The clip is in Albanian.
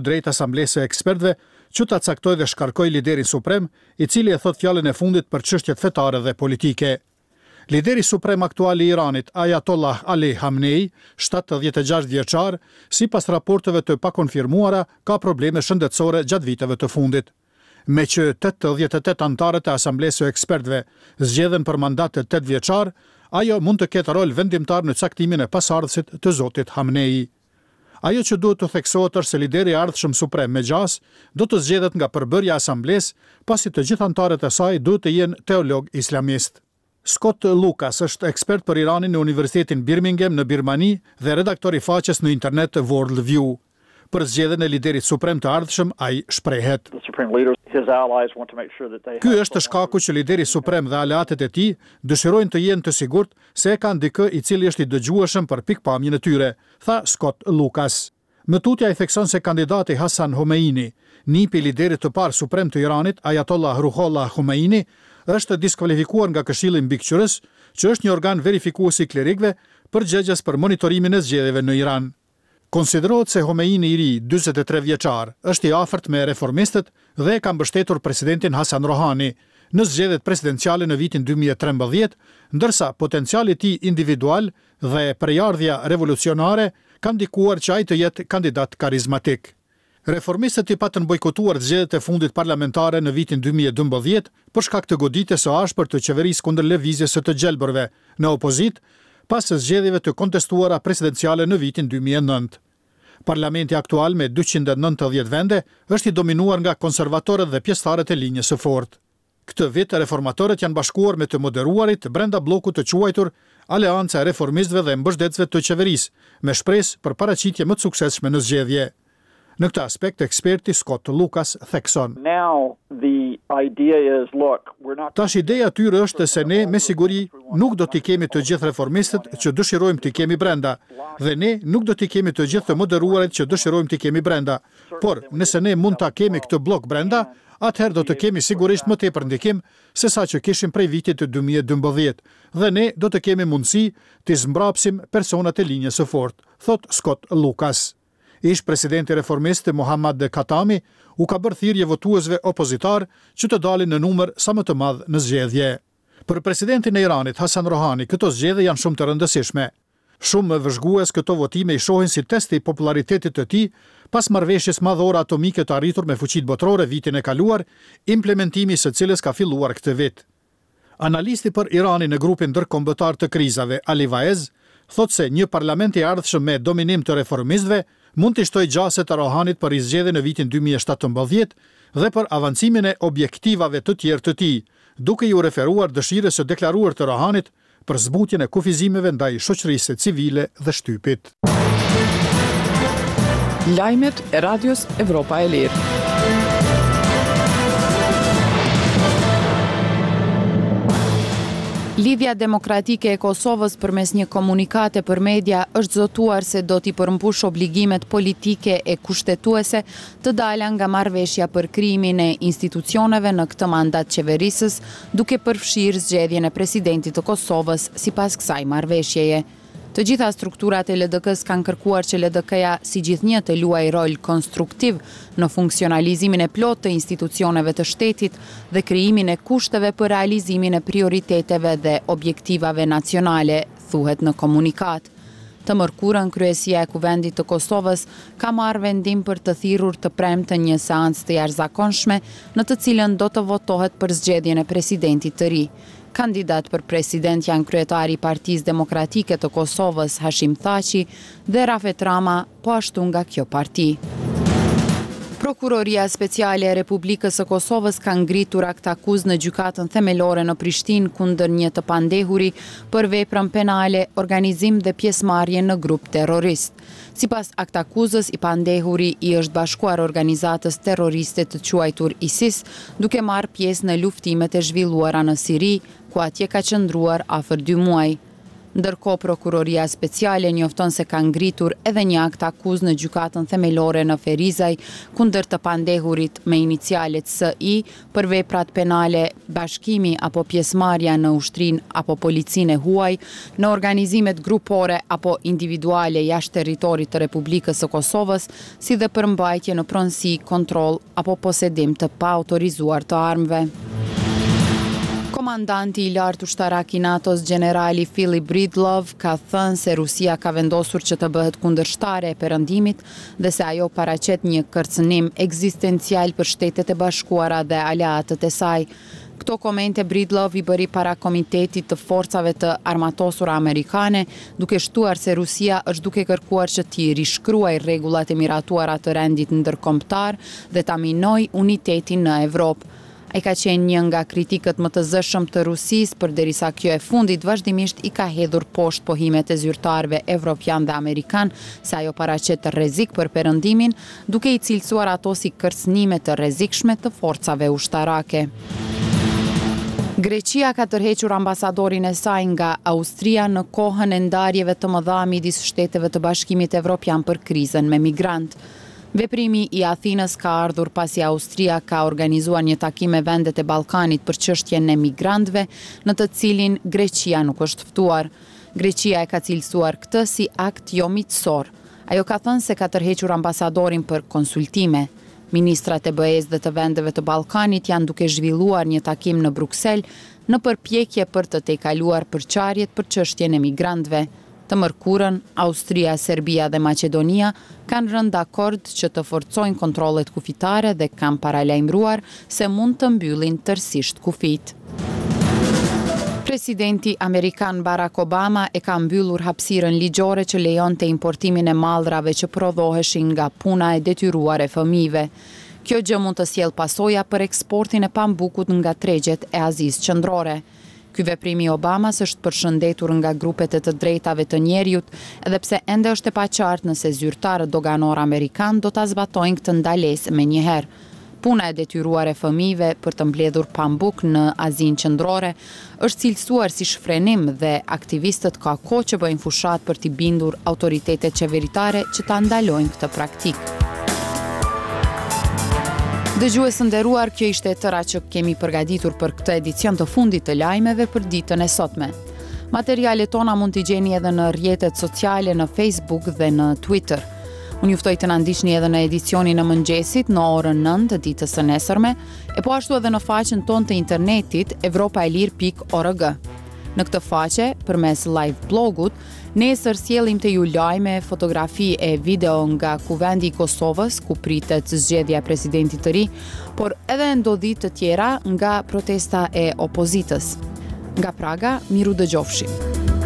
Drejtë Asamblesë së Ekspertëve që ta caktojë dhe shkarkojë liderin suprem, i cili e thotë fjalën e fundit për çështjet fetare dhe politike. Lideri suprem aktual i Iranit, Ayatollah Ali Khamenei, 76 vjeçar, sipas raporteve të pakonfirmuara, ka probleme shëndetësore gjatë viteve të fundit. Meqë 88 anëtarët e Asamblesë së Ekspertëve zgjedhen për mandat tetëvjeçar, ajo mund të ketë rol vendimtar në caktimin e pasardhësit të zotit Khamenei. Ajo që duhet të theksohet është se lideri i ardhshëm suprem me gjasë do të zgjedhet nga përbërja e Asamblesë, pasi të gjithë anëtarët e saj duhet të jenë teologë islamistë. Scott Lucas është ekspert për Iranin në Universitetin Birmingham në Birmani dhe redaktor i faqes në internet World View. Për zgjedhjen e liderit suprem të ardhshëm ai shprehet. Ky është shkaku që lideri suprem dhe aleatët e tij dëshirojnë të jenë të sigurt se e kanë dikë i cili është i dëgjueshëm për pikëpamjen e tyre, tha Scott Lucas. Më tutje ai thekson se kandidati Hassan Khomeini, nipi i liderit të parë suprem të Iranit, Ayatollah Ruhollah Khomeini, është diskualifikuar nga Këshilli Mbikëqyrës, që është një organ verifikues i klerikëve, përgjegjës për monitorimin e zgjedhjeve në Iran. Konsiderohet se Khomeini i ri, 43 vjeçar, është i afërt me reformistët dhe e ka mbështetur presidentin Hassan Rouhani në zgjedhjet presidenciale në vitin 2013, ndërsa potenciali i tij individual dhe prejardhja revolucionare kanë ndikuar që ai të jetë kandidat karizmatik. Reformistët i patën bojkotuar zgjedhjet e fundit parlamentare në vitin 2012 për shkak të goditjes së ashpër të qeverisë kundër lëvizjes së të gjelbërve në opozitë pas zgjedhjeve të kontestuara presidenciale në vitin 2009. Parlamenti aktual me 290 vende është i dominuar nga konservatorët dhe pjesëtarët e linjës së fortë. Këtë vit reformatorët janë bashkuar me të moderuarit brenda bllokut të quajtur Aleanca e Reformistëve dhe Mbështetësve të Qeverisë, me shpresë për paraqitje më të suksesshme në zgjedhje. Në këtë aspekt eksperti Scott Lucas thekson. Tash ideja e tyre është se ne me siguri nuk do t'i kemi të gjithë reformistët që dëshirojmë t'i kemi brenda dhe ne nuk do t'i kemi të gjithë të moderuarit që dëshirojmë t'i kemi brenda. Por, nëse ne mund ta kemi këtë bllok brenda, atëherë do të kemi sigurisht më tepër ndikim se sa që kishim prej vitit 2012 dhe ne do të kemi mundësi t'i zmbrapsim personat e linjës së fortë, thotë Scott Lucas. Ish presidenti reformist Mohammad Khatami u ka bërë thirrje votuesve opozitar që të dalin në numër sa më të madh në zgjedhje. Për presidentin e Iranit Hassan Rouhani këto zgjedhje janë shumë të rëndësishme. Shumë vëzhgues këto votime i shohin si test i popularitetit të tij pas marrëveshjes madhore atomike të arritur me fuqitë botërore vitin e kaluar, implementimi i së cilës ka filluar këtë vit. Analisti për Iranin në grupin ndërkombëtar të krizave, Ali Vaez, thotë se një parlament i ardhshëm me dominim të reformistëve mund t'i shtojë gjasat e Rohanit për rizgjedhje në vitin 2017 dhe për avancimin e objektivave të tjerë të tij, duke iu referuar dëshirës së deklaruar të Rohanit për zbutjen e kufizimeve ndaj shoqërisë civile dhe shtypit. Lajmet e Radios Evropa e Lirë. Lidhja Demokratike e Kosovës përmes një komunikate për media është zotuar se do t'i përmbush obligimet politike e kushtetuese të dala nga marrëveshja për krijimin e institucioneve në këtë mandat qeverisës, duke përfshirë zgjedhjen e presidentit të Kosovës sipas kësaj marrëveshjeje. Të gjitha strukturat e LDK-së kanë kërkuar që LDK-ja si gjithnjë të luajë rol konstruktiv në funksionalizimin e plotë të institucioneve të shtetit dhe krijimin e kushteve për realizimin e prioriteteve dhe objektivave nacionale, thuhet në komunikatë. Të mërkurën, Kryesia e Kuvendit të Kosovës ka marrë vendim për të thirrur të premten një seancë të jashtëzakonshme në të cilën do të votohet për zgjedhjen e presidentit të ri. Kandidat për president janë kryetari i Partisë Demokratike të Kosovës, Hashim Thaçi dhe Rafet Rama, po ashtu nga kjo parti. Prokuroria Speciale e Republikës së Kosovës ka ngritur aktakuzë në Gjykatën Themelore në Prishtinë kundër një të pandehuri për veprën penale organizim dhe pjesëmarrje në grup terrorist. Sipas aktakuzës, i pandehuri i është bashkuar organizatës terroriste të quajtur ISIS, duke marrë pjesë në luftimet e zhvilluara në Siri, ku atje ka qëndruar afër dy muaj. Ndërkohë, Prokuroria Speciale njofton se ka ngritur edhe një akt-akuzë në Gjykatën Themelore në Ferizaj kundër të pandehurit me inicialet SI për veprat penale bashkimi apo pjesëmarrja në ushtrinë apo policinë e huaj, në organizimet grupore apo individuale jashtë territorit të Republikës së Kosovës, si dhe për mbajtje në pronësi, kontroll apo posedim të paautorizuar të armëve. Komandanti i lartë ushtarak i NATO-s, gjenerali Philip Breedlove, ka thënë se Rusia ka vendosur që të bëhet kundërshtare e Perëndimit dhe se ajo paraqet një kërcënim ekzistencial për Shtetet e Bashkuara dhe aleatët e saj. Këto komente Breedlove i bëri para Komitetit të Forcave të Armatosura Amerikane, duke shtuar se Rusia është duke kërkuar që t'i rishkruajë rregullat e miratuara të rendit ndërkombëtar dhe ta minojë unitetin në Evropë. Ai ka qenë një nga kritikët më të zëshëm të Rusisë, përderisa kjo e fundit vazhdimisht i ka hedhur poshtë pohimet e zyrtarëve evropianë dhe amerikanë se ajo paraqet rrezik për Perëndimin, duke i cilësuar ato si kërcënime të rrezikshme të forcave ushtarake. Greqia ka tërhequr ambasadorin e saj nga Austria në kohën e ndarjeve të mëdha midis shteteve të Bashkimit Evropian për krizën me migrantë. Veprimi i Athinës ka ardhur pasi Austria ka organizuar një takim me vendet e Ballkanit për çështjen e migrantëve, në të cilin Greqia nuk është ftuar. Greqia e ka cilësuar këtë si akt jo miqësor. Ajo ka thënë se ka tërhequr ambasadorin për konsultime. Ministrat e BE-së dhe të vendeve të Ballkanit janë duke zhvilluar një takim në Bruksel në përpjekje për të tejkaluar përçarjet për çështjen e migrantëve. Të mërkurën, Austria, Serbia dhe Maqedonia kanë rënë dakord që të forcojnë kontrollet kufitare dhe kanë paralajmëruar se mund të mbyllin tërësisht kufijtë. Presidenti amerikan Barack Obama e ka mbyllur hapësirën ligjore që lejonte importimin e mallrave që prodhoheshin nga puna e detyruar e fëmijëve. Kjo gjë mund të sjellë pasoja për eksportin e pambukut nga tregjet e Azisë Qendrore. Ky veprim i Obamas është përshëndetur nga grupet e të drejtave të njeriut, edhe pse ende është e paqartë nëse zyrtarët doganorë amerikanë do ta zbatojnë këtë ndalesë menjëherë. Puna e detyruar e fëmijëve për të mbledhur pambuk në Azinë Qendrore është cilësuar si shfrenim dhe aktivistët ka kohë që bëjnë fushatë për t'i bindur autoritetet qeveritare që ta ndalojnë këtë praktikë. Dëgjues të nderuar, kjo ishte e tëra që kemi përgatitur për këtë edicion të fundit të lajmeve për ditën e sotme. Materialet tona mund t'i gjeni edhe në rrjetet sociale në Facebook dhe në Twitter. Unë ju ftoj të na ndiqni edhe në edicionin e mëngjesit në orën 9 të ditës së nesërme, e po ashtu edhe në faqen tonë të internetit evropaelire.org. Në këtë faqe, përmes live blogut, nesër sjellim te ju lajme, fotografi e video nga Kuvendi i Kosovës, ku pritet zgjedhja e presidentit të ri, por edhe ndodhi të tjera nga protesta e opozitës. Nga Praga, mirudëgjofshim.